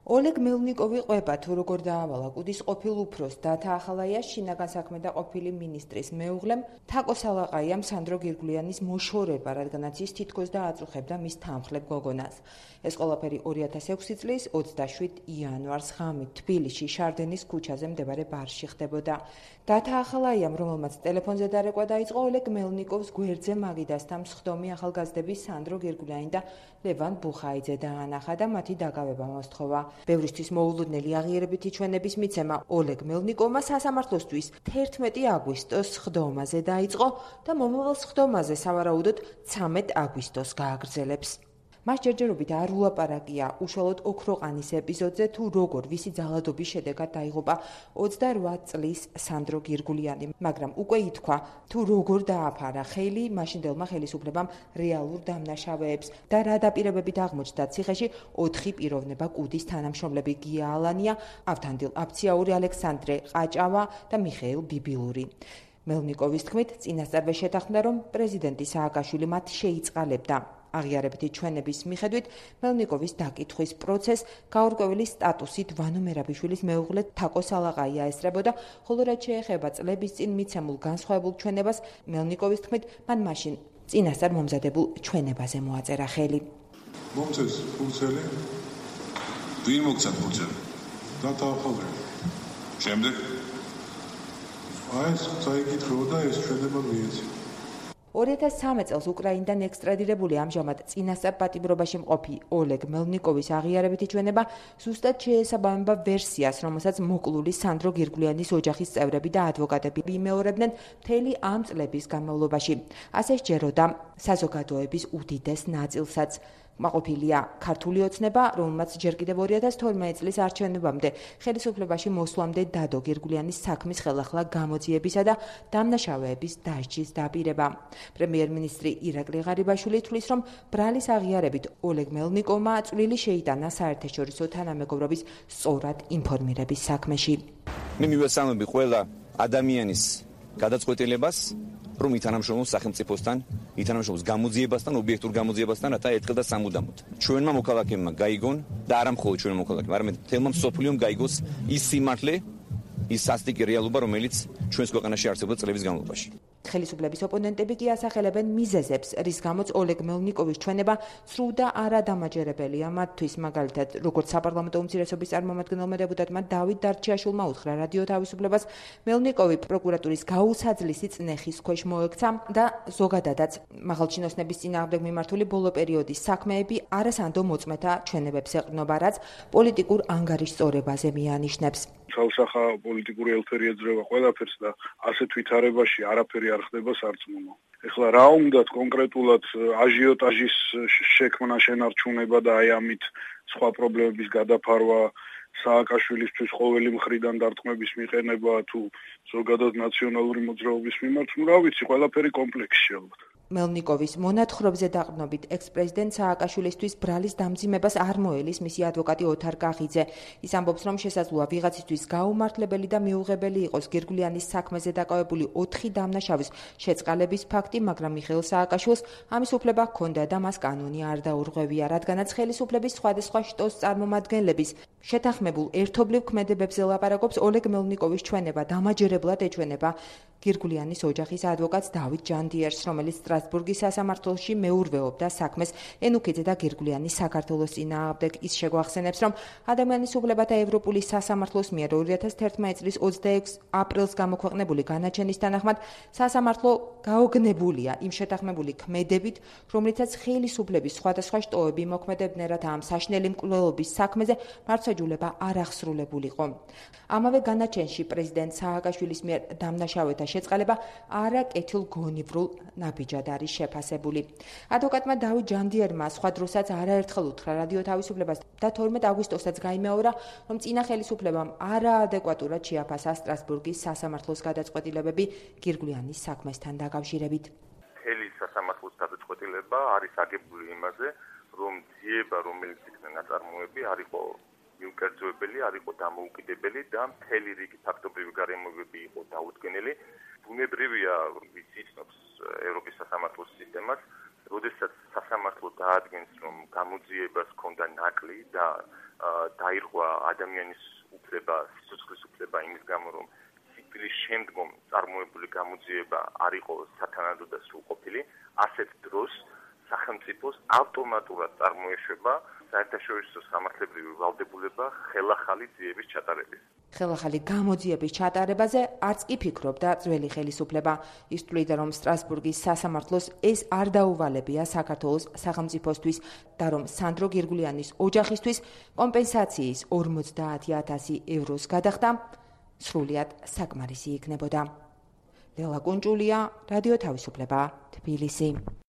ოლეგ მელნიკოვი ყვება თუ როგორ დაავალა კუდის ყოფილ უფროს დათა ახალაიას შინაგან საქმეთა ყოფილი მინისტრის მეუღლემ თაკო სალაყაიამ სანდრო გირგულიანის მოშორება, რადგანაც ის თითქოს დააწუხებდა მის თანმხლებ გოგონას. ეს ყველაფერი 2006 წლის 27 იანვარს ღამით თბილისში შარდენის ქუჩაზე მდებარე ბარში ხდებოდა. დათა ახალაიამ, რომელმაც ტელეფონზე დარეკვა დაიწყო, ოლეგ მელნიკოვს გვერდზე მაგიდასთან მსხდომი ახალგაზრდები სანდრო გირგულიანი და ლევან ბუხაიძე დაანახა და მათი დაკავება მოსთხოვა. ბევრისთვის მოულოდნელი აღიარებითი ჩვენების მიცემა ოლეგ მელნიკოვმა სასამართლოსთვის 11 აგვისტოს სხდომაზე დაიწყო და მომავალ სხდომაზე სავარაუდოდ 13 აგვისტოს გააგრძელებს. მას ჯერჯერობით არ ულაპარაკია უშუალოდ ოქროყანის ეპიზოდზე თუ როგორ ვისი ძალადობის შედეგად დაიღუპა 28 წლის სანდრო გირგულიანი, მაგრამ უკვე ითქვა თუ როგორ დააფარა ხელი მაშინდელმა ხელისუფლებამ რეალურ დამნაშავეებს და რა დაპირებებით აღმოჩნდა ციხეში 4 პიროვნება კუდის თანამშრომლები გია ალანია, ავთანდილ აფციაური, ალექსანდრე ყაჭავა და მიხეილ ბიბილური. მელნიკოვის თქმით, წინასწარვე შეთანხმდა, რომ პრეზიდენტი სააკაშვილი მათ შეიწყალებდა. აღიარებითი ჩვენების მიხედვით მელნიკოვის დაკითხვის პროცესს გაურკვეველი სტატუსით ვანო მერაბიშვილის მეუღლე თაკო სალაყაია ესწრებოდა, ხოლო რაც შეეხება წლების წინ მიცემულ განსხვავებულ ჩვენებას, მელნიკოვის თქმით, მან მაშინ წინასწარ მომზადებულ ჩვენებაზე მოაწერა ხელი. მომწეს ფურცელი, ვინ მოგცა ფურცელი? დათა ახალაია. შემდეგ ეს წაიკითხებოდა ეს ჩვენება მიეცა. 2013 წელს უკრაინიდან ექსტრადირებული ამჟამად წინასწარ პატიმრობაში მყოფი ოლეგ მელნიკოვის აღიარებითი ჩვენება ზუსტად შეესაბამება ვერსიას, რომელსაც მოკლული სანდრო გირგულიანის ოჯახის წევრები და ადვოკატები იმეორებდნენ მთელი ამ წლების განმავლობაში. ასე სჯეროდა საზოგადოების უდიდეს ნაწილსაც. მაყოფილია ქართული ოცნება, რომელმაც ჯერ კიდევ 2012 წლის არჩევნებამდე ხელისუფლებაში მოსვლამდე დადო გირგულიანის საქმის ხელახლა გამოძიებისა და დამნაშავეების დასჯის დაპირება. პრემიერ-მინისტრი ირაკლი ღარიბაშვილი თვლის, რომ ბრალის აღიარებით ოლეგ მელნიკოვმა წვლილი შეიტანა საერთაშორისო თანამეგობრობის სწორად ინფორმირების საქმეში. მე მივესალმები ყველა ადამიანის გადაწყვეტილებას, რომ ითანამშრომლოს სახელმწიფოსთან, ითანამშრომლოს გამოძიებასთან, ობიექტურ გამოძიებასთან, რათა ერთხელ და სამუდამოდ ჩვენმა მოქალაქეებმა გაიგონ და არა მხოლოდ ჩვენმა მოქალაქეებმა, არამედ მთელმა მსოფლიომ გაიგოს ის სიმართლე, ის სასტიკი რეალობა, რომელიც ჩვენს ქვეყანაში არსებობდა წლების განმავლობაში. ხელისუფლების ოპონენტები კი ასახელებენ მიზეზებს, რის გამოც ოლეგ მელნიკოვის ჩვენება სრულ და არადამაჯერებელია მათთვის, მაგალითად, როგორც საპარლამენტო უმცირესობის წარმომადგენელმა დეპუტატმა დავით დარჩიაშვილმა უთხრა რადიო თავისუფლებას, მელნიკოვი პროკურატურის გაუსაძლისი წნეხის ქვეშ მოექცა და ზოგადადაც მაღალჩინოსნების წინააღმდეგ მიმართული ბოლო პერიოდის საქმეები არასანდო მოწმეთა ჩვენებებს ეყრდნობა, რაც პოლიტიკურ ანგარიშწორებაზე მიანიშნებს. ცალსახა პოლიტიკური ელფერი ეძრება ყველაფერს და ასეთ ვითარებაში არაფერი არ ხდება სარწმუნო. ეხლა რა უნდათ კონკრეტულად აჟიოტაჟის შექმნა, შენარჩუნება და აი ამით სხვა პრობლემების გადაფარვა, სააკაშვილისთვის ყოველი მხრიდან დარტყმების მიყენება თუ ზოგადად ნაციონალური მოძრაობის მიმართ, რა ვიცი, ყველაფერი კომპლექსში ალბათ. მელნიკოვის მონათხრობზე დაყრდნობით ექს-პრეზიდენტ სააკაშვილისთვის ბრალის დამძიმებას არ მოელის მისი ადვოკატი ოთარ კახიძე. ის ამბობს, რომ შესაძლოა ვიღაცისთვის გაუმართლებელი და მიუღებელი იყოს გირგულიანის საქმეზე დაკავებული 4 დამნაშავის შეწყალების ფაქტი, მაგრამ მიხეილ სააკაშვილს ამის უფლება ჰქონდა და მას კანონი არ დაურღვევია, რადგანაც ხელისუფლების სხვადასხვა შტოს წარმომადგენლების შეთანხმებულ ერთობლივ ქმედებებზე ლაპარაკობს ოლეგ მელნიკოვის ჩვენება დამაჯერებლად ეჩვენება გირგულიანის ოჯახის ადვოკატს დავით ჯანდიერს, რომელიც სტრასბურგის სასამართლოში მეურვეობდა საქმეს ენუქიძე და გირგულიანის საქართველოს წინააღმდეგ. ის შეგვახსენებს, რომ ადამიანის უფლებათა ევროპული სასამართლოს მიერ 2011 წლის 26 აპრილს გამოქვეყნებული განაჩენის თანახმად სასამართლო გაოგნებულია იმ შეთანხმებული ქმედებით, რომლითაც ხელისუფლების სხვადასხვა შტოები მოქმედებდნენ, რათა ამ საშინელი მკვლელობის საქმეზე მართლმსაჯულება არ აღსრულებულიყო. ამავე განაჩენში პრეზიდენტ სააკაშვილის მიერ დამნაშავეთა შეწყალება არაკეთილგონივრულ ნაბიჯად არის შეფასებული. ადვოკატმა დავით ჯანდიერმა სხვა დროსაც არაერთხელ უთხრა რადიო თავისუფლებას და 12 აგვისტოსაც გაიმეორა, რომ წინა ხელისუფლებამ არაადეკვატურად შეაფასა სტრასბურგის სასამართლოს გადაწყვეტილებები გირგულიანის საქმესთან დაკავშირებით. მთელი სასამართლოს გადაწყვეტილება არის აგებული იმაზე, რომ ძიება, რომელიც იქნა ნაწარმოები, არ იყო მიუკერძოებელი, არ იყო დამოუკიდებელი და მთელი რიგი ფაქტობრივი გარემოებები იყო დაუდგენელი. ბუნებრივია, ვიც იცნობს ევროპის სასამართლოს სისტემას, როდესაც სასამართლო დაადგენს, რომ გამოძიებას ჰქონდა ნაკლი და დაირღვა ადამიანის უფლება, სიცოცხლის უფლება იმის გამო, რომ სიკვდილის შემდგომ წარმოებული გამოძიება არ იყო სათანადო და სრულყოფილი, ასეთ დროს სახელმწიფოს ავტომატურად წარმოეშვება საერთაშორისო სამართლებრივი ვალდებულება ხელახალი ძიების ჩატარების. ხელახალი გამოძიების ჩატარებაზე არც კი ფიქრობდა ძველი ხელისუფლება. ის თვლიდა, რომ სტრასბურგის სასამართლოს ეს არ დაუვალებია საქართველოს სახელმწიფოსთვის და რომ სანდრო გირგულიანის ოჯახისთვის კომპენსაციის 50,000 ევროს გადახდა სრულიად საკმარისი იქნებოდა. ლელა კუნჭულია, რადიო თავისუფლება, თბილისი.